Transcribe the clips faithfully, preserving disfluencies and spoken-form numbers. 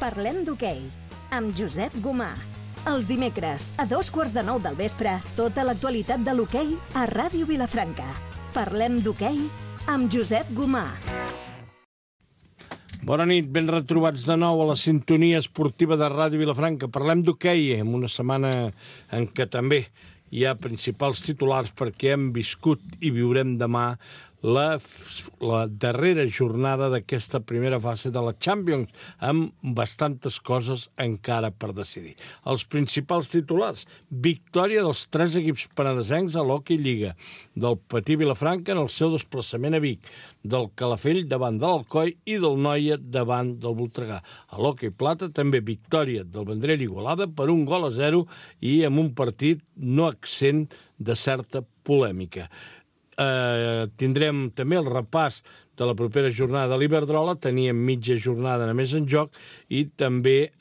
Parlem d'hoquei, amb Josep Gomà. Els dimecres, a dos quarts de nou del vespre, tota l'actualitat de l'hoquei a Ràdio Vilafranca. Parlem d'hoquei amb Josep Gomà. Bona nit, ben retrobats de nou a la sintonia esportiva de Ràdio Vilafranca. Parlem d'hoquei en una setmana en què també hi ha principals titulars perquè hem viscut i viurem demà la, la darrera jornada d'aquesta primera fase de la Champions, amb bastantes coses encara per decidir. Els principals titulars: victòria dels tres equips penedesencs a l'Hockey Lliga, del Patí Vilafranca en el seu desplaçament a Vic, del Calafell davant de l'Alcoi i del Noia davant del Voltregà. A l'Hockey Plata també victòria del Vendrell Igualada per un gol a zero i amb un partit no exempt de certa polèmica. Eh, tindrem també el repàs de la propera jornada de l'Iberdrola, teníem mitja jornada només en joc, i també eh,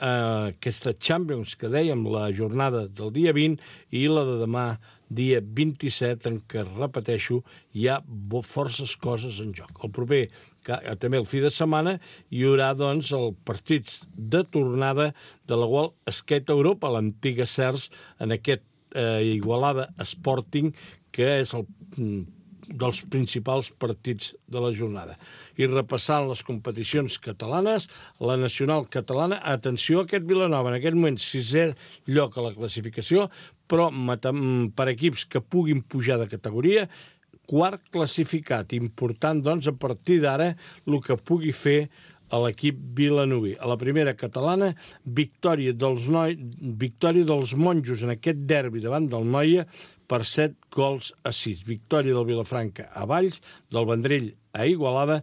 aquesta Champions que dèiem, la jornada del dia vint i la de demà, dia vint-i-set, en què, repeteixo, hi ha forces coses en joc. El proper, també el fi de setmana, hi haurà doncs els partits de tornada de la World Skate Europa, l'antiga C E R S, en aquest eh, Igualada Sporting, que és el dels principals partits de la jornada. I repassant les competicions catalanes, la nacional catalana, atenció a aquest Vilanova, en aquest moment sisè lloc a la classificació, però per equips que puguin pujar de categoria, quart classificat. Important, doncs, a partir d'ara, el que pugui fer a l'equip vilanoví. A la primera catalana, victòria dels, noi... victòria dels monjos en aquest derbi davant del Noia per set gols a sis. Victòria del Vilafranca a Valls, del Vendrell a Igualada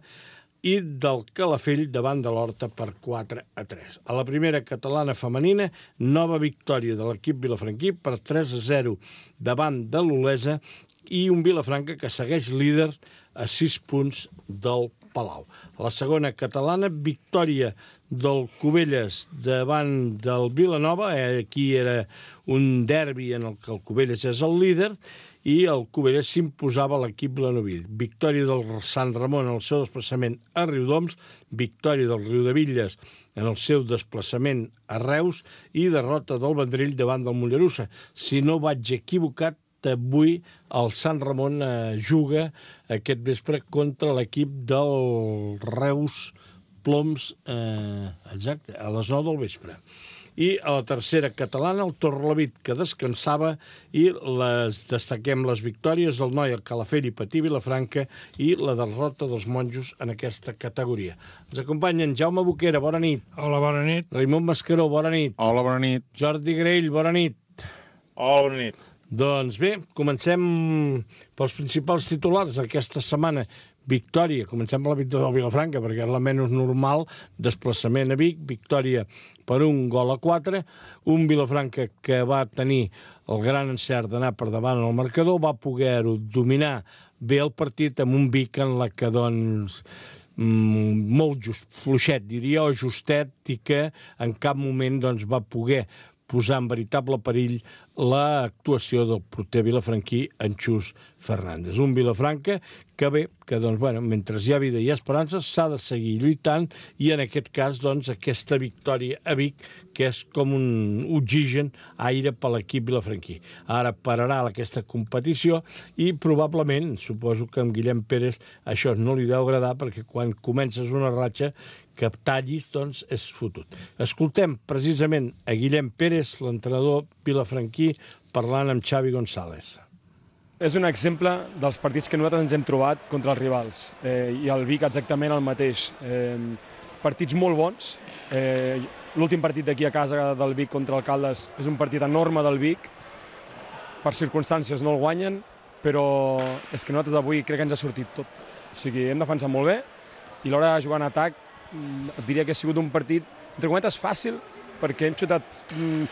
i del Calafell davant de l'Horta per quatre a tres. A la primera catalana femenina, nova victòria de l'equip vilafranquí per tres a zero davant de l'Olesa i un Vilafranca que segueix líder a sis punts del Palau. A la segona catalana, victòria del Cubelles davant del Vilanova. Aquí era un derbi en el que el Cubelles és el líder i el Cubelles s'imposava a l'equip vilanoví. Victòria del Sant Ramon en el seu desplaçament a Riudoms, victòria del Riudevilles en el seu desplaçament a Reus i derrota del Vendrell davant del Mollerussa. Si no vaig equivocat, avui el Sant Ramon eh, juga aquest vespre contra l'equip del Reus Ploms, eh, exacte, a les nou del vespre. I a la tercera catalana, el Torrelavit, que descansava, i les, destaquem les victòries del Noia, Calafell i Patí Vilafranca i la derrota dels monjos en aquesta categoria. Ens acompanyen Jaume Boquera, bona nit. Hola, bona nit. Raimon Mascaró, bona nit. Hola, bona nit. Jordi Grell, bona nit. Hola, bona nit. Doncs bé, comencem pels principals titulars aquesta setmana. Victòria, comencem per la victòria del Vilafranca, perquè és la menys normal, desplaçament a Vic, victòria per un gol a quatre, un Vilafranca que va tenir el gran encert d'anar per davant en el marcador, va poder-ho dominar bé el partit amb un Vic en la que, doncs, molt just, fluixet, diria, o justet, i que en cap moment doncs, va poder posar en veritable perill l'actuació del porter vilafranquí, en Xus Fernández. Un Vilafranca que bé, que doncs, bueno, mentre hi ha vida i esperança, s'ha de seguir lluitant i en aquest cas, doncs, aquesta victòria a Vic, que és com un oxigen aire per l'equip vilafranquí. Ara pararà aquesta competició i probablement, suposo que amb Guillem Pérez això no li deu agradar perquè quan comences una ratxa que tallis, doncs, és fotut. Escoltem precisament a Guillem Pérez, l'entrenador vilafranquí, parlant amb Xavi González. És un exemple dels partits que nosaltres ens hem trobat contra els rivals, eh, i el Vic exactament el mateix. Eh, partits molt bons. Eh, L'últim partit d'aquí a casa del Vic contra el Caldes és un partit enorme del Vic. Per circumstàncies no el guanyen, però és que nosaltres avui crec que ens ha sortit tot. O sigui, hem defensat molt bé i l'hora de jugar en atac et diria que ha sigut un partit, entre cometes, fàcil, perquè hem xutat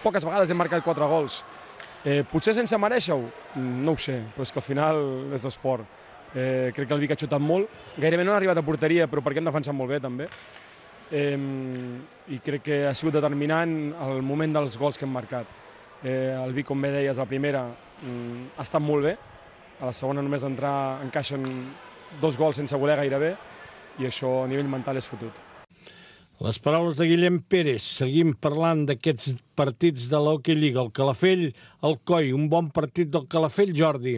poques vegades, hem marcat quatre gols. Eh, potser sense merèixer-ho? No ho sé, però és que al final és l'esport. Eh, crec que el Vic ha xutat molt, gairebé no ha arribat a porteria, però perquè hem defensat molt bé també. Eh, I crec que ha sigut determinant el moment dels gols que hem marcat. Eh, el Vic, com bé deies, la primera ha estat molt bé, a la segona només d'entrar encaixen dos gols sense voler gairebé, i això a nivell mental és fotut. Les paraules de Guillem Pérez. Seguim parlant d'aquests partits de l'Hockey Lliga. El Calafell, el Coi, un bon partit del Calafell, Jordi.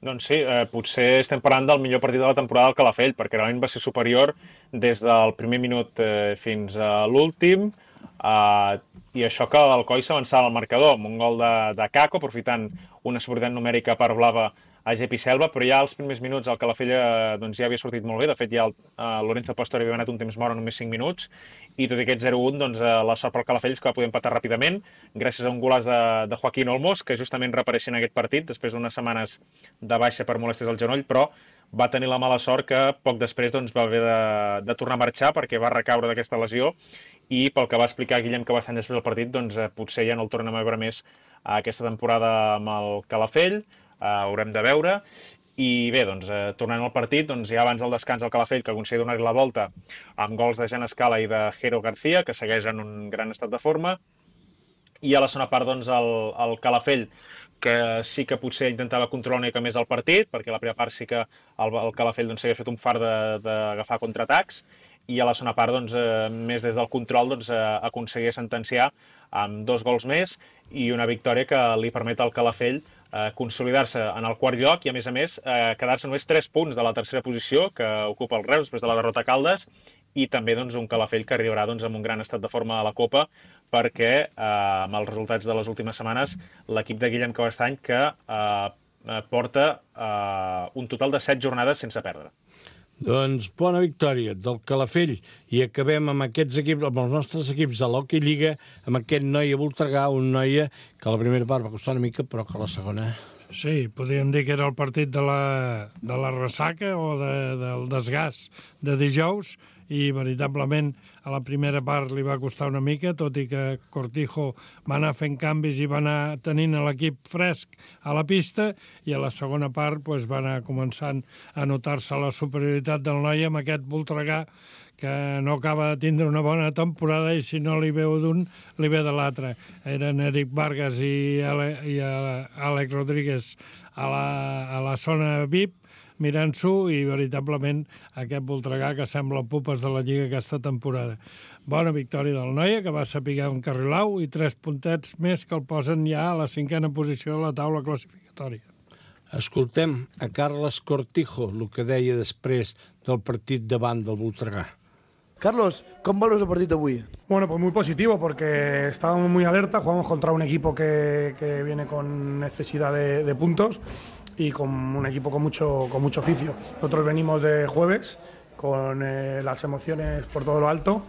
Doncs sí, eh, potser estem parlant del millor partit de la temporada del Calafell, perquè realment va ser superior des del primer minut eh, fins a l'últim, eh, i això que el Coi s'avançava al marcador, amb un gol de, de Caco, aprofitant una superioritat numèrica per Blava a Gepi Selva, però ja als primers minuts el Calafell eh, doncs ja havia sortit molt bé. De fet, ja el eh, Lorenzo Pastori havia anat un temps mort en només cinc minuts, i tot i aquest zero un, doncs, eh, la sort pel Calafell és que va poder empatar ràpidament, gràcies a un golaç de, de Joaquín Olmos, que justament reapareixia en aquest partit, després d'unes setmanes de baixa per molèsties al genoll, però va tenir la mala sort que poc després doncs, va haver de, de tornar a marxar perquè va recaure d'aquesta lesió, i pel que va explicar Guillem que bastant després del partit, doncs, eh, potser ja no el tornem a veure més a aquesta temporada amb el Calafell. Uh, haurem de veure, i bé, doncs, eh, tornant al partit, doncs, ja abans del descans del Calafell, que aconseguia donar-li la volta amb gols de Jan Escala i de Jero García, que segueix en un gran estat de forma, i a la segona part, doncs, el, el Calafell, que sí que potser intentava controlar una mica més el partit, perquè a la primera part sí que el, el Calafell doncs, s'havia fet un far d'agafar contraatacs, i a la segona part, doncs, eh, més des del control, doncs, eh, aconseguia sentenciar amb dos gols més i una victòria que li permet al Calafell eh, consolidar-se en el quart lloc i, a més a més, eh, quedar-se només tres punts de la tercera posició que ocupa el Reus després de la derrota a Caldes, i també doncs, un Calafell que arribarà doncs, amb un gran estat de forma a la Copa, perquè eh, amb els resultats de les últimes setmanes l'equip de Guillem Cabestany que eh, porta eh, un total de set jornades sense perdre. Doncs bona victòria del Calafell, i acabem amb aquests equips, amb els nostres equips de l'Hockey Lliga, amb aquest Noia Voltregà, un Noia que a la primera part va costar una mica, però que a la segona... Sí, podríem dir que era el partit de la, de la ressaca o de, del desgast de dijous, i veritablement a la primera part li va costar una mica, tot i que Cortijo va anar fent canvis i va anar tenint l'equip fresc a la pista, i a la segona part pues, va anar començant a notar-se la superioritat del Noia amb aquest Voltregà, que no acaba de tindre una bona temporada, i si no li veu d'un, li ve de l'altre. Eren Eric Vargas i, Ale, i Àlex Rodríguez a la, a la zona V I P, mirant-s'ho, i veritablement aquest Voltregà que sembla pupes de la Lliga aquesta temporada. Bona victòria del Noia, que va saber encarrilar-ho, i tres puntets més que el posen ja a la cinquena posició de la taula classificatòria. Escoltem a Carles Cortijo, el que deia després del partit davant del Voltregà. Carlos, ¿cómo valores el partido hoy? Bueno, pues muy positivo, porque estábamos muy alerta, jugamos contra un equipo que, que viene con necesidad de, de puntos y con un equipo con mucho, con mucho oficio. Nosotros venimos de jueves con eh, las emociones por todo lo alto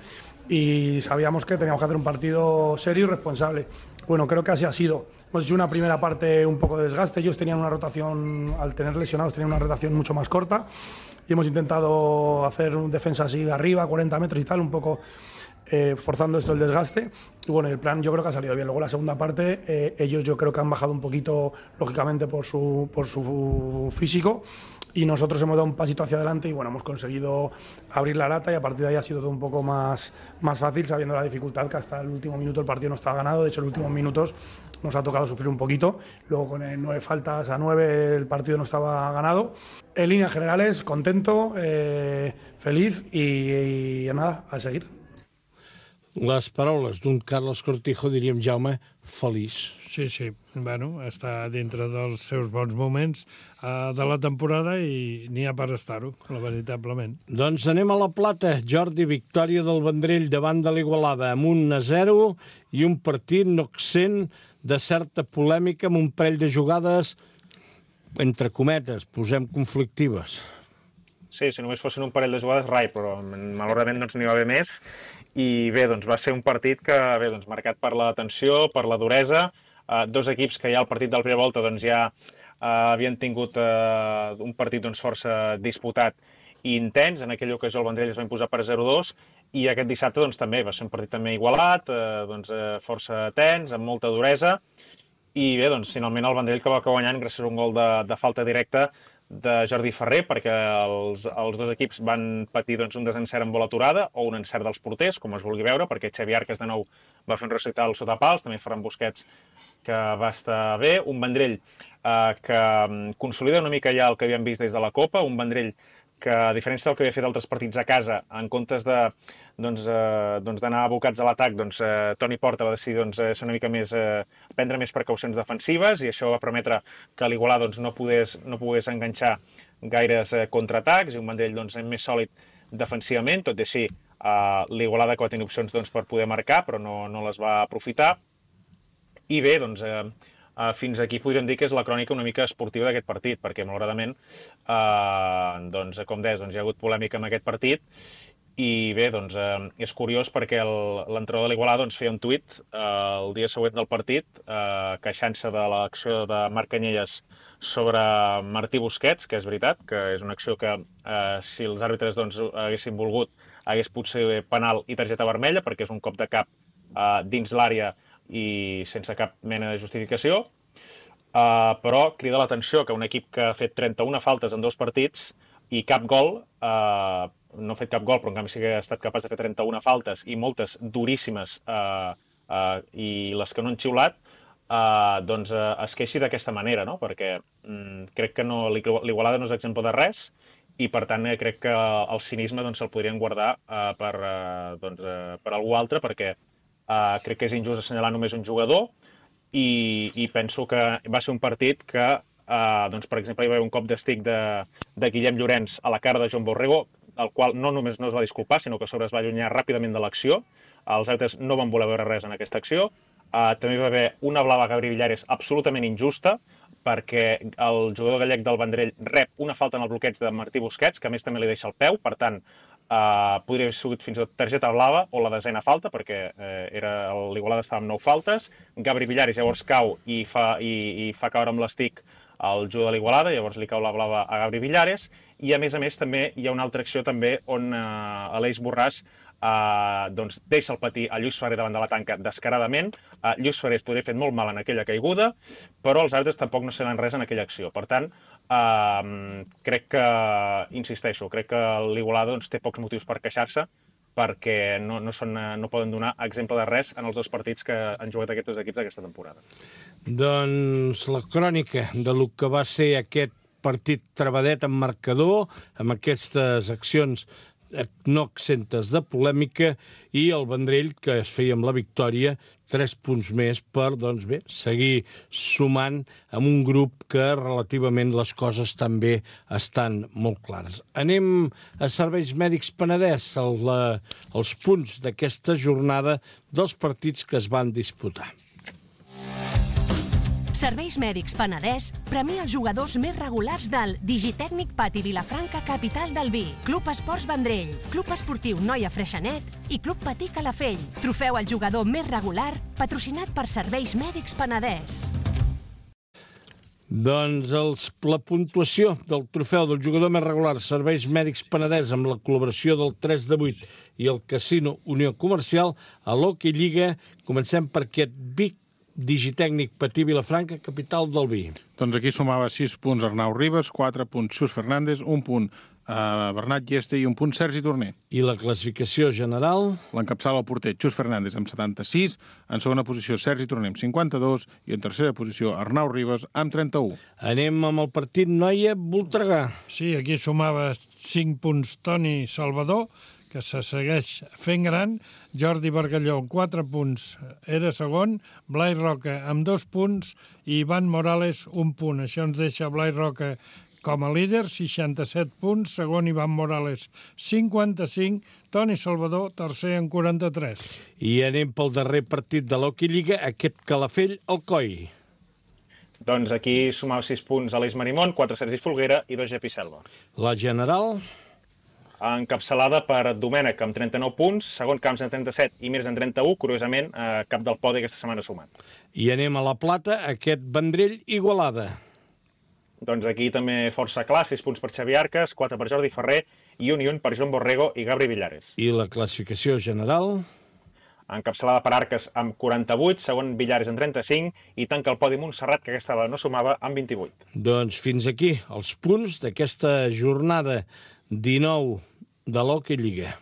y sabíamos que teníamos que hacer un partido serio y responsable. Bueno, creo que así ha sido. Hemos hecho una primera parte un poco de desgaste, ellos tenían una rotación, al tener lesionados, tenían una rotación mucho más corta, y hemos intentado hacer un defensa así de arriba, cuarenta metros y tal, un poco eh, forzando esto el desgaste. Y bueno, el plan yo creo que ha salido bien. Luego la segunda parte, eh, ellos yo creo que han bajado un poquito, lógicamente, por su, por su físico, y nosotros hemos dado un pasito hacia adelante y bueno, hemos conseguido abrir la lata, y a partir de ahí ha sido todo un poco más, más fácil, sabiendo la dificultad que hasta el último minuto el partido no estaba ganado. De hecho, en los últimos minutos nos ha tocado sufrir un poquito. Luego con el nueve faltas a nueve el partido no estaba ganado. En líneas generales, contento, eh, feliz y, y nada, a seguir. Les paraules d'un Carles Cortijo, diríem, Jaume, feliç. Sí, sí. Bueno, està dintre dels seus bons moments uh, de la temporada, i n'hi ha per estar-ho, veritablement. Doncs anem a la Plata. Jordi, victòria del Vendrell davant de l'Igualada amb un a zero, i un partit no exent de certa polèmica amb un parell de jugades, entre cometes, posem conflictives. Sí, si només fossin un parell de jugades, rai, però malauradament no n'hi va haver més. I bé, doncs va ser un partit que, bé, doncs, marcat per la tensió, per la duresa, uh, dos equips que ja al partit de la primera volta doncs, ja uh, havien tingut uh, un partit doncs, força disputat i intens. En aquella ocasió el Vendrell es va imposar per zero dos, i aquest dissabte doncs, també va ser un partit també igualat, uh, doncs, uh, força tens, amb molta duresa, i bé, doncs, finalment el Vendrell que va acabar guanyant gràcies a un gol de, de falta directa de Jordi Ferrer, perquè els, els dos equips van patir doncs, un desencert amb bola aturada, o un encert dels porters, com es vulgui veure, perquè Xavi Arcas de nou va fer un recital sota pals, també Ferran Busquets, que va estar bé, un Vendrell eh, que consolida una mica ja el que havíem vist des de la Copa, un Vendrell que a diferència del que havia fet altres partits a casa, en comptes de doncs, eh, doncs d'anar abocats a l'atac, doncs, eh, Toni Porta va decidir doncs, ser una mica més, eh, prendre més precaucions defensives i això va permetre que l'Igualada doncs, no, pogués, no pogués enganxar gaires eh, contraatacs i un Vendrell doncs, més sòlid defensivament, tot i així eh, l'Igualada que va tenir opcions doncs, per poder marcar però no, no les va aprofitar. I bé, doncs, eh, eh, fins aquí podríem dir que és la crònica una mica esportiva d'aquest partit, perquè malauradament, eh, doncs, com deies, doncs, hi ha hagut polèmica en aquest partit. I bé, doncs, eh, és curiós perquè l'entrenador de l'Igualada doncs, feia un tuit eh, el dia següent del partit eh, queixant-se de l'acció de Marc Canyelles sobre Martí Busquets, que és veritat, que és una acció que eh, si els àrbitres doncs, haguessin volgut hagués potser penal i targeta vermella, perquè és un cop de cap eh, dins l'àrea i sense cap mena de justificació. Eh, però crida l'atenció que un equip que ha fet trenta-una faltes en dos partits i cap gol, eh, no ha fet cap gol, però en canvi sí que ha estat capaç de fer trenta-una faltes i moltes duríssimes eh, eh, i les que no han xiulat, eh, doncs eh, es queixi d'aquesta manera, no? Perquè mm, crec que no, l'Igualada no és exemple de res i per tant eh, crec que el cinisme doncs, se'l podrien guardar eh, per, eh, doncs, eh, per algú altre perquè eh, crec que és injust assenyalar només un jugador i, i penso que va ser un partit que, eh, doncs, per exemple, hi va haver un cop d'estic de, de Guillem Llorenç a la cara de Joan Borrego, el qual no només no es va disculpar, sinó que a sobre es va allunyar ràpidament de l'acció. Els àrbitres no van voler veure res en aquesta acció. Uh, també hi va haver una blava a Gabri Villares absolutament injusta, perquè el jugador gallec del Vendrell rep una falta en el bloqueig de Martí Busquets, que a més també li deixa el peu, per tant, uh, podria haver sigut fins i tot targeta blava o la desena falta, perquè uh, era l'Igualada estava amb nou faltes. Gabri Villares llavors cau i fa, i, i fa caure amb l'estic el jugador de l'Igualada, llavors li cau la blava a Gabri Villares, i a més a més també hi ha una altra acció també on eh, Aleix Borràs eh, doncs deixa el patir a Lluís Ferrer davant de la tanca descaradament. Eh, Lluís Ferrer es podria haver fet molt mal en aquella caiguda, però els àrbitres tampoc no saben res en aquella acció. Per tant, eh, crec que, insisteixo, crec que l'Igualada doncs, té pocs motius per queixar-se, perquè no, no, són, no poden donar exemple de res en els dos partits que han jugat aquests dos equips aquesta temporada. Doncs la crònica de lo que va ser aquest partit trebadet amb marcador, amb aquestes accions no exentes de polèmica, i el Vendrell, que es feia amb la victòria, tres punts més per, doncs bé, seguir sumant amb un grup que relativament les coses també estan molt clares. Anem a Serveis Mèdics Penedès, el, la, els punts d'aquesta jornada dels partits que es van disputar. Serveis Mèdics Penedès premia els jugadors més regulars del Digitècnic Pati Vilafranca, capital del vi, Club Esports Vendrell, Club Esportiu Noia Freixenet i Club Patí Calafell. Trofeu al jugador més regular, patrocinat per Serveis Mèdics Penedès. Doncs els, la puntuació del trofeu del jugador més regular Serveis Mèdics Penedès amb la col·laboració del tres de vuit i el Casino Unió Comercial a l'Hockey Lliga. Comencem per aquest Vic Digitècnic Patí Vilafranca, capital del vi. Doncs aquí sumava sis punts Arnau Ribas, quatre punts Xus Fernández, un punt eh, Bernat Lleste i un punt Sergi Torner. I la classificació general? L'encapçala el porter Xus Fernández amb setanta-sis, en segona posició Sergi Torner amb cinquanta-dos i en tercera posició Arnau Ribas amb trenta-u. Anem amb el partit Noia-Voltregà. Sí, aquí sumava cinc punts Toni Salvador, que se segueix fent gran, Jordi Bargalló amb quatre punts era segon, Blai Roca amb dos punts i Ivan Morales un punt. Això ens deixa Blai Roca com a líder, seixanta-set punts, segon Ivan Morales cinquanta-cinc, Toni Salvador tercer amb quaranta-tres. I anem pel darrer partit de l'Hockey Lliga, aquest Calafell-Alcoi. Doncs aquí sumava sis punts Aleix Marimón, quatre Sergi Folguera i dos Jepi Selva. La general? Encapçalada per Domènec amb trenta-nou punts, segon Camps amb trenta-set i Mirs amb trenta-u, curiosament, eh, cap del podi aquesta setmana sumat. I anem a la plata, aquest Vendrell-Igualada. Doncs aquí també força clar, sis punts per Xavi Arcas, quatre per Jordi Ferrer i un i un per Joan Borrego i Gabri Villares. I la classificació general? Encapçalada per Arcas amb quaranta-vuit, segon Villares amb trenta-cinc i tanca el podi Montserrat, que aquesta vegada no sumava, amb vint-i-vuit. Doncs fins aquí els punts d'aquesta jornada dinou de l'Hockey Lliga.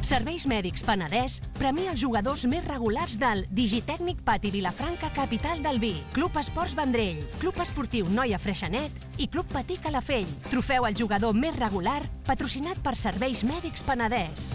Serveis Mèdics Penedès premia els jugadors més regulars del Digitècnic Pati Vilafranca, capital del vi, Club Esports Vendrell, Club Esportiu Noia Freixenet i Club Patí Calafell. Trofeu al jugador més regular, patrocinat per Serveis Mèdics Penedès.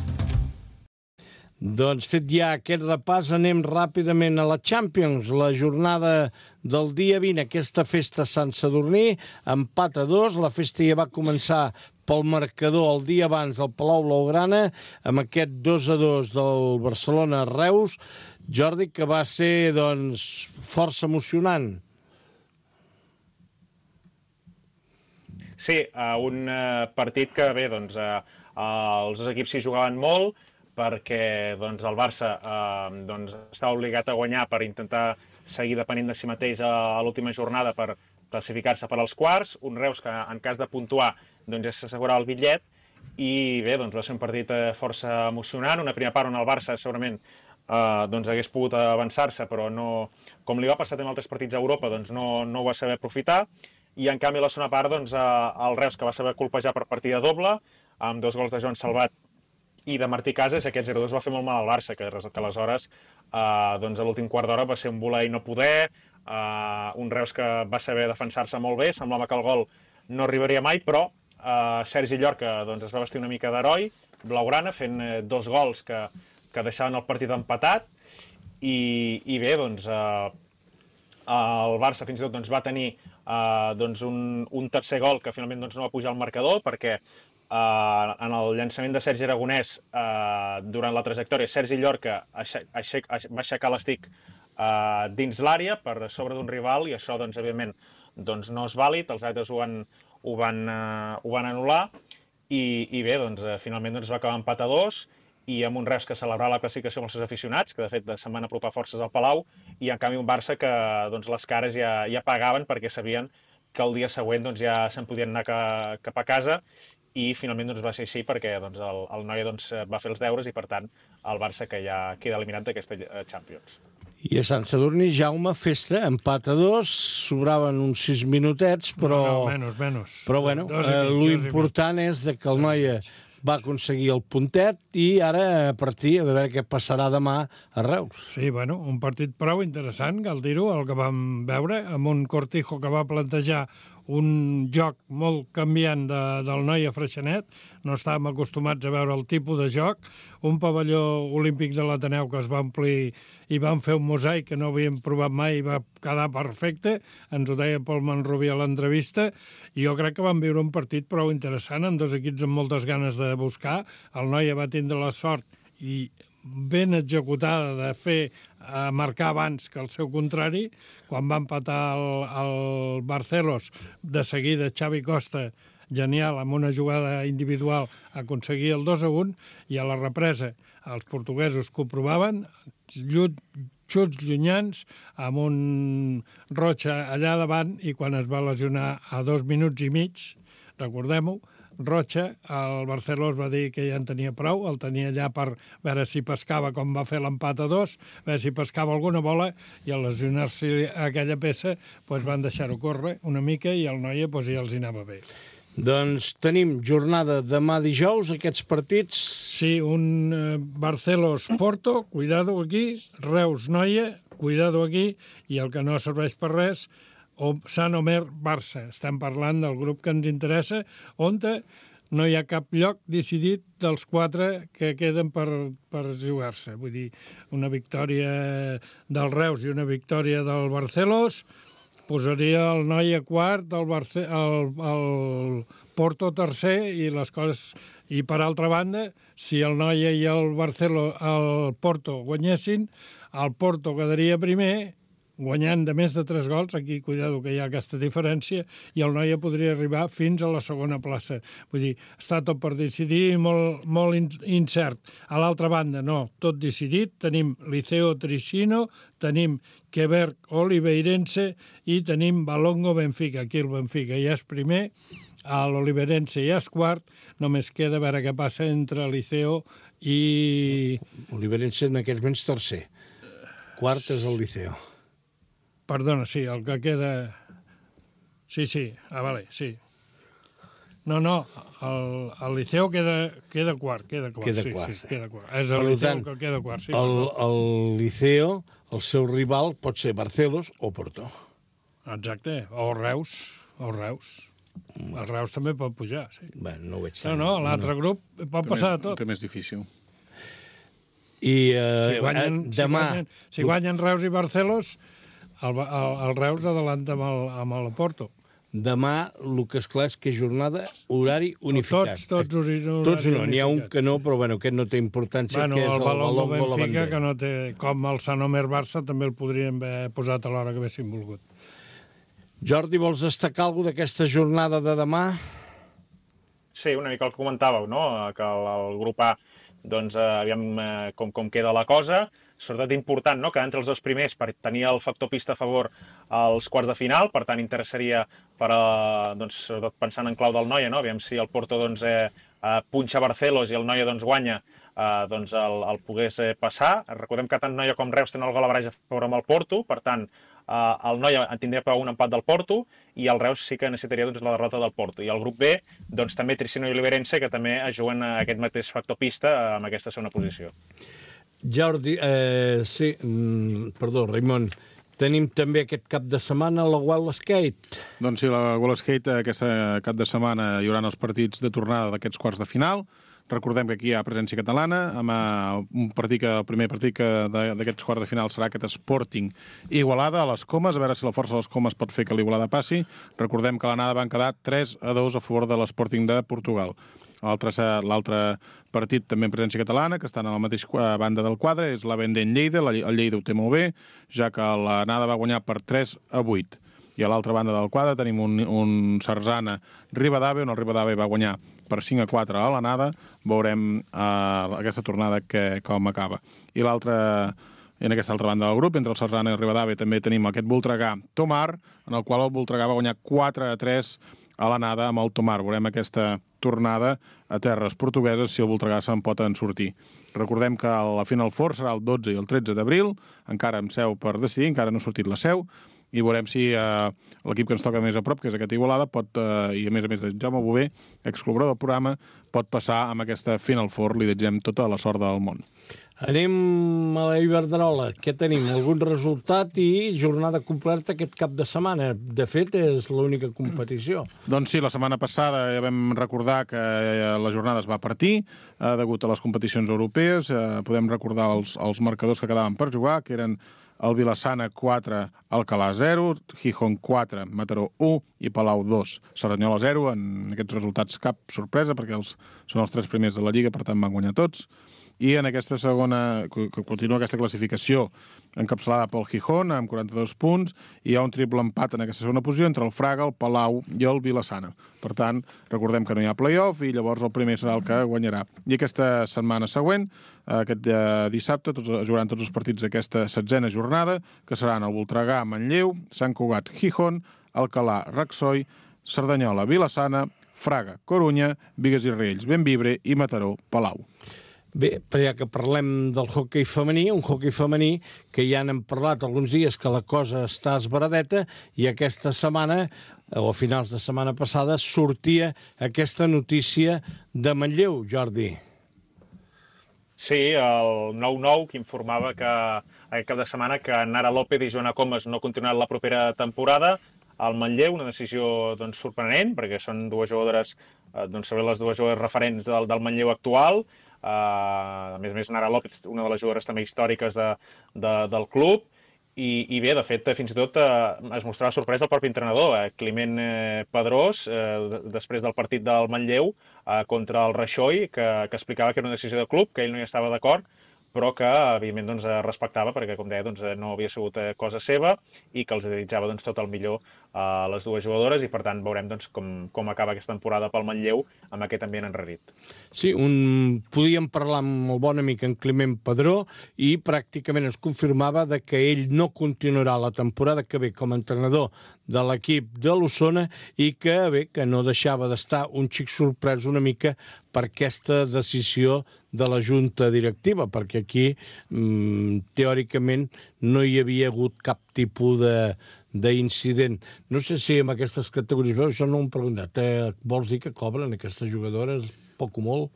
Doncs fet ja aquest repàs, anem ràpidament a la Champions, la jornada del dia vint, aquesta festa a Sant Sadurní, empat a dos, la festa ja va començar pel marcador el dia abans del Palau Blaugrana, amb aquest dos a dos del Barcelona-Reus, Jordi, que va ser, doncs, força emocionant. Sí, un partit que, bé, doncs, els dos equips s'hi jugaven molt, perquè doncs, el Barça eh, doncs, està obligat a guanyar per intentar seguir depenent de si mateix a, a l'última jornada per classificar-se per als quarts, un Reus que en cas de puntuar doncs, ja s'assegurava el bitllet, i bé, doncs, va ser un partit eh, força emocionant, una primera part on el Barça segurament eh, doncs, hagués pogut avançar-se, però no, com li va passar en altres partits a Europa, doncs, no, no ho va saber aprofitar, i en canvi a la segona part doncs, eh, el Reus que va saber colpejar per partida doble, amb dos gols de Joan Salvat i de Martí Casas, aquest zero dos va fer molt mal al Barça, que, que aleshores eh, doncs a l'últim quart d'hora va ser un voler i no poder, eh, un Reus que va saber defensar-se molt bé, semblava que el gol no arribaria mai, però eh, Sergi Llorca doncs, es va vestir una mica d'heroi, blaugrana, fent eh, dos gols que, que deixaven el partit empatat, i, i bé, doncs, eh, el Barça fins i tot doncs, va tenir eh, doncs, un, un tercer gol que finalment doncs, no va pujar al marcador, perquè Uh, en el llançament de Sergi Aragonès uh, durant la trajectòria, Sergi Llorca aixec, aixec, aixec, va aixecar l'estic uh, dins l'àrea per sobre d'un rival, i això, doncs, evidentment, doncs, no és vàlid, els àrbitres ho van, ho van, uh, ho van anul·lar, i, i bé, doncs, uh, finalment doncs, va acabar empat a dos, i amb un Reus que celebrava la classificació amb els seus aficionats, que de fet se'n van apropar forces al Palau, i en canvi un Barça que doncs, les cares ja, ja pagaven perquè sabien que el dia següent doncs, ja se'n podien anar ca, cap a casa, i finalment doncs, va ser així perquè doncs, el, el Noia doncs, va fer els deures i, per tant, el Barça que ja queda eliminat d'aquesta Champions. I a Sant Sadurní, Jaume, festa, empat a dos, sobraven uns sis minutets, però... No, no, menys, menys. Però, bueno, eh, l'important és de que el Noia va aconseguir el puntet i ara a partir a veure què passarà demà a Reus. Sí, bueno, un partit prou interessant, cal dir-ho, el que vam veure, amb un Cortijo que va plantejar un joc molt canviant de, del Noia Freixenet, no estàvem acostumats a veure el tipus de joc, un pavelló olímpic de l'Ateneu que es va omplir i van fer un mosaic que no havíem provat mai i va quedar perfecte, ens ho deia Pol Manrubí a l'entrevista, i jo crec que vam viure un partit prou interessant, amb dos equips amb moltes ganes de buscar, el Noia va tindre la sort i ben executada de fer a marcar abans que el seu contrari, quan va empatar el, el Barcelos, de seguida Xavi Costa, genial, amb una jugada individual, aconseguir el dos a un, i a la represa els portuguesos que ho provaven, xuts llunyans, amb un Rocha allà davant, i quan es va lesionar a dos minuts i mig, recordem-ho, Rocha, el Barceló va dir que ja en tenia prou, el tenia allà per veure si pescava, com va fer l'empat a dos, veure si pescava alguna bola, i al lesionar-se aquella peça doncs van deixar-ho córrer una mica i el Noia doncs, ja els hi anava bé. Doncs tenim jornada demà dijous, aquests partits... Sí, un eh, Barcelos-Porto, cuidado aquí, Reus-Noia, cuidado aquí, i el que no serveix per res, o Sant Omer-Barça. Estem parlant del grup que ens interessa, on no hi ha cap lloc decidit dels quatre que queden per, per jugar-se. Vull dir, una victòria del Reus i una victòria del Barcelos posaria el Noia quart, el, Barce el, el Porto tercer, i les coses... I per altra banda, si el Noia i el Barcelo, el Porto guanyessin, el Porto quedaria primer, guanyant de més de tres gols, aquí, cuidado, que hi ha aquesta diferència, i el Noia podria arribar fins a la segona plaça. Vull dir, està tot per decidir, molt, molt incert. A l'altra banda, no, tot decidit. Tenim Liceo Tricino, tenim Quebec Oliveirense i tenim Balongo Benfica. Aquí el Benfica ja és primer, l'Oliveirense ja és quart, només queda a veure què passa entre Liceo i... Oliveirense en aquells moments tercer. Quart és el Liceo. Perdona, sí, el que queda... Sí, sí, ah, vale, sí. No, no, el, el Liceu queda, queda quart, queda quart. Queda sí, quart, sí, sí. queda quart. És el Per Liceu tant, que queda quart, sí. El, el Liceo, el seu rival, pot ser Barcelos o Porto. Exacte, o Reus, o Reus. El Reus també pot pujar, sí. Bé, no ho veig No, tant. no, l'altre grup pot passar de tot. Té més difícil. I eh, Si guanyen, eh, demà... si guanyen, si guanyen Reus i Barcelos, el, el, el Reus adelanta amb el, amb el Porto. Demà, el que és clar és que és jornada horari unificat. Tots, tots horari Tots no, n'hi ha un unificats, que no, sí. però bueno, aquest no té importància, Bueno, que és el el Balongo Balongo la Benfica, bandera. que no té... Com el Sant Omer Barça, també el podríem haver posat a l'hora que haguéssim volgut. Jordi, vols destacar alguna d'aquesta jornada de demà? Sí, una mica el que comentàveu, no? Que el, el grup A, doncs, eh, aviam eh, com, com queda la cosa. Sobretot important, no?, que entre els dos primers per tenir el factor pista a favor als quarts de final, per tant interessaria per a, doncs, sobretot pensant en clau del Noia, no? Aviam si el Porto doncs, eh, eh, punxa Barcelos i el Noia doncs, guanya, eh, doncs el, el pogués eh, passar. Recordem que tant Noia com Reus tenen el gol a barreja a favor amb el Porto, per tant eh, el Noia tindria per un empat del Porto i el Reus sí que necessitaria doncs, la derrota del Porto. I el grup B, doncs, també Tricino i Oliverense, que també es juguen aquest mateix factor pista amb aquesta segona posició. Jordi, eh, sí, mm, perdó, Raimon, tenim també aquest cap de setmana la Wild Skate. Doncs sí, la Wild Skate aquest cap de setmana hi haurà els partits de tornada d'aquests quarts de final. Recordem que aquí hi ha presència catalana, amb un partit que, el primer partit que d'aquests quarts de final serà aquest Sporting Igualada a les Comes, a veure si la força de les Comes pot fer que l'Igualada passi. Recordem que a l'anada van quedar tres a dos a favor de l'Sporting de Portugal. L'altre partit també en presència catalana, que estan a la mateixa banda del quadre, és la Vendent Lleida. El Lleida ho té molt bé, ja que l'anada va guanyar per tres a vuit. I a l'altra banda del quadre tenim un, un Sarzana Ribadave, on el Ribadave va guanyar per cinc a quatre a l'anada. Veurem eh, aquesta tornada que, com acaba. I l'altra... En aquesta altra banda del grup, entre el Sarzana i el Ribadave, també tenim aquest Voltregà Tomar, en el qual el Voltregà va guanyar quatre a tres a l'anada amb el Tomar. Veurem aquesta tornada a terres portugueses si el Voltregà se'n pot en sortir. Recordem que la Final Four serà el dotze i el tretze d'abril, encara amb seu per decidir, encara no ha sortit la seu, i veurem si eh, l'equip que ens toca més a prop, que és aquest Igualada, pot, eh, i a més a més de Jaume Bové, excol·laborador del programa, pot passar amb aquesta Final Four. Li desitgem tota la sort del món. Anem a la Iberdrola. Què tenim? Algun resultat i jornada completa aquest cap de setmana. De fet, és l'única competició. Doncs sí, la setmana passada ja vam recordar que la jornada es va partir eh, degut a les competicions europees. Eh, podem recordar els, els marcadors que quedaven per jugar, que eren el Vilassana quatre, Alcalà zero, Gijón quatre, Mataró u i Palau dos. Cerdanyola zero. En aquests resultats cap sorpresa, perquè els, són els tres primers de la Lliga, per tant van guanyar tots. I en aquesta segona, que continua aquesta classificació encapçalada pel Gijón, amb quaranta-dos punts, i hi ha un triple empat en aquesta segona posició entre el Fraga, el Palau i el Vilassana. Per tant, recordem que no hi ha play-off i llavors el primer serà el que guanyarà. I aquesta setmana següent, aquest dissabte, tots, jugaran tots els partits d'aquesta setzena jornada, que seran el Voltregà, Manlleu, Sant Cugat, Gijón, Alcalà, Raxoi, Cerdanyola, Vilassana, Fraga, Corunya, Bigues i Riells, Bembibre i Mataró, Palau. Bé, però ja que parlem del hoquei femení, un hoquei femení que ja n'hem parlat alguns dies que la cosa està esbaradeta i aquesta setmana, o a finals de setmana passada, sortia aquesta notícia de Manlleu, Jordi. Sí, el nou nou que informava que aquest cap de setmana que Nara López i Joana Comas no continuaran la propera temporada al Manlleu, una decisió doncs, sorprenent, perquè són dues jugadores, eh, doncs, sobre les dues jugadores referents del, del Manlleu actual. Uh, a més a més, Nara López, una de les jugadores també històriques de, de, del club, i, i bé, de fet, fins i tot uh, es mostrava sorpresa el propi entrenador, eh, Climent eh, Pedrós, eh, després del partit del Manlleu eh, contra el Raxoi, que, que explicava que era una decisió de club, que ell no hi estava d'acord, però que, evidentment, doncs, respectava, perquè, com deia, doncs, no havia sigut cosa seva i que els desitjava doncs, tot el millor a les dues jugadores i, per tant, veurem doncs, com, com acaba aquesta temporada pel Manlleu amb aquest ambient enrarit. Sí, un... podíem parlar amb el bon amic en Climent Pedró i pràcticament es confirmava de que ell no continuarà la temporada que ve com a entrenador de l'equip de l'Osona i que, bé, que no deixava d'estar un xic sorprès una mica per aquesta decisió de la junta directiva, perquè aquí, mmm, teòricament, no hi havia hagut cap tipus de, d'incident. No sé si amb aquestes categories, però això no m'ho hem preguntat. Eh, vols dir que cobren aquestes jugadores poc o molt?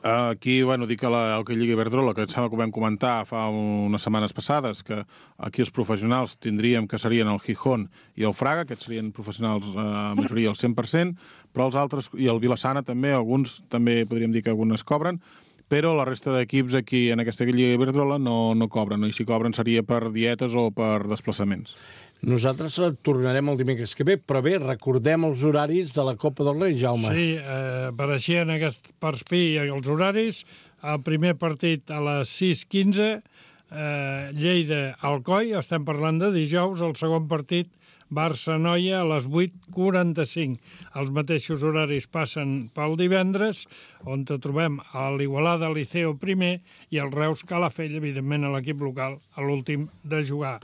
Aquí, bueno, dic que la Hockey Lliga Iberdrola, que em sembla que ho vam comentar fa unes setmanes passades, que aquí els professionals tindríem que serien el Gijón i el Fraga, aquests serien professionals a eh, majoria al cent per cent, però els altres, i el Vilassana també, alguns també podríem dir que algunes cobren, però la resta d'equips aquí en aquesta Lliga Iberdrola no, no cobren, i si cobren seria per dietes o per desplaçaments. Nosaltres tornarem el dimecres que ve, però bé, recordem els horaris de la Copa del Rei, Jaume. Sí, eh, apareixien aquest perfil els horaris. El primer partit a les sis quinze, eh, Lleida-Alcoi, estem parlant de dijous. El segon partit, Barça-Noia, a les vuit quaranta-cinc. Els mateixos horaris passen pel divendres, on trobem a l'Igualada Liceo primer i el Reus Calafell, evidentment a l'equip local, a l'últim de jugar.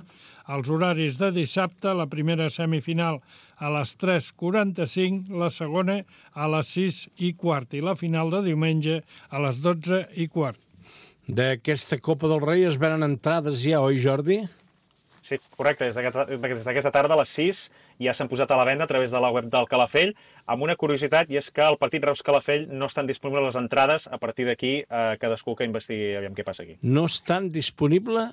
Els horaris de dissabte, la primera semifinal a les tres quaranta-cinc, la segona a les sis i quart i la final de diumenge a les dotze i quart. D'aquesta Copa del Rei es venen entrades ja, oi, Jordi? Sí, correcte. Des d'aquesta tarda a les sis ja s'han posat a la venda a través de la web del Calafell, amb una curiositat, i és que el partit Reus-Calafell no estan disponibles les entrades. A partir d'aquí, eh, cadascú que investigui aviam què passa aquí. No estan disponibles?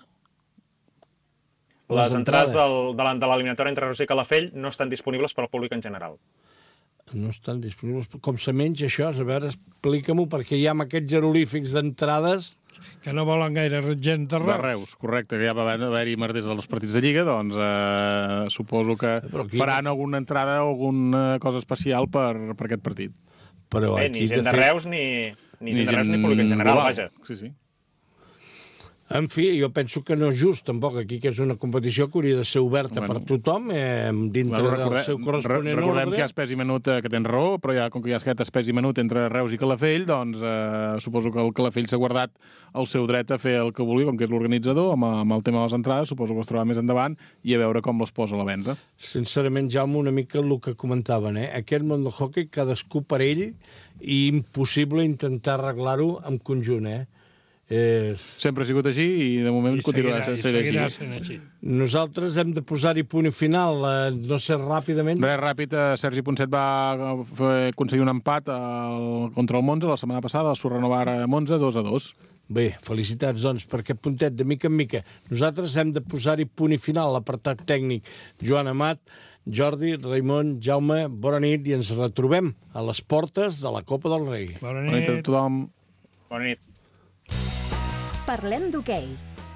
Les, les entrades, entrades del, de l'eliminatòria entre Reus i Calafell no estan disponibles per al públic en general. No estan disponibles. Com se menja això? A veure, explica-m'ho, perquè hi ha aquests jeroglífics d'entrades que no volen gaire gent de Reus. De Reus, correcte, que ja va haver-hi merders als partits de Lliga, doncs eh, suposo que aquí faran alguna entrada o alguna cosa especial per, per aquest partit. Però Bé, aquí, ni gent de, de fet... Reus, ni, ni, ni gent de Reus, ni públic en general, global. Vaja. Sí, sí. En fi, jo penso que no és just, tampoc, aquí, que és una competició que hauria de ser oberta bueno, per tothom, eh, dintre bueno, del seu corresponent recordem ordre. Recordem que hi ha espès i menut, que tens raó, però ja, com que hi ha aquest espès i menut entre Reus i Calafell, doncs eh, suposo que el Calafell s'ha guardat el seu dret a fer el que vulgui, com que és l'organitzador, amb, amb el tema de les entrades, suposo que es trobarà més endavant, i a veure com les posa a la venda. Sincerament, Jaume, una mica el que comentaven, eh? Aquest món del hockey, cadascú per ell, i impossible intentar arreglar-ho en conjunt, eh? Eh... Sempre ha sigut així i de moment I continuarà seguirà, sent seguirà així. Sent així. Nosaltres hem de posar-hi punt i final, eh, no sé, ràpidament. Res, ràpid, eh, Sergi Ponset va fer, aconseguir un empat al, contra el Monza la setmana passada, el Surrenovar a Monza, dos a dos. Bé, felicitats, doncs, per aquest puntet, de mica en mica. Nosaltres hem de posar-hi punt i final, l'apartat tècnic. Joan Amat, Jordi, Raimon, Jaume, bona nit, i ens retrobem a les portes de la Copa del Rei. Bona nit. Bona nit a tothom. Bona nit. Parlem d'hoquei,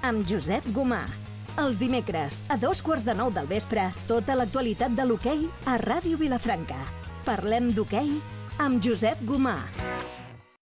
amb Josep Gomà. Els dimecres, a dos quarts de nou del vespre, tota l'actualitat de l'hoquei a Ràdio Vilafranca. Parlem d'hoquei amb Josep Gomà.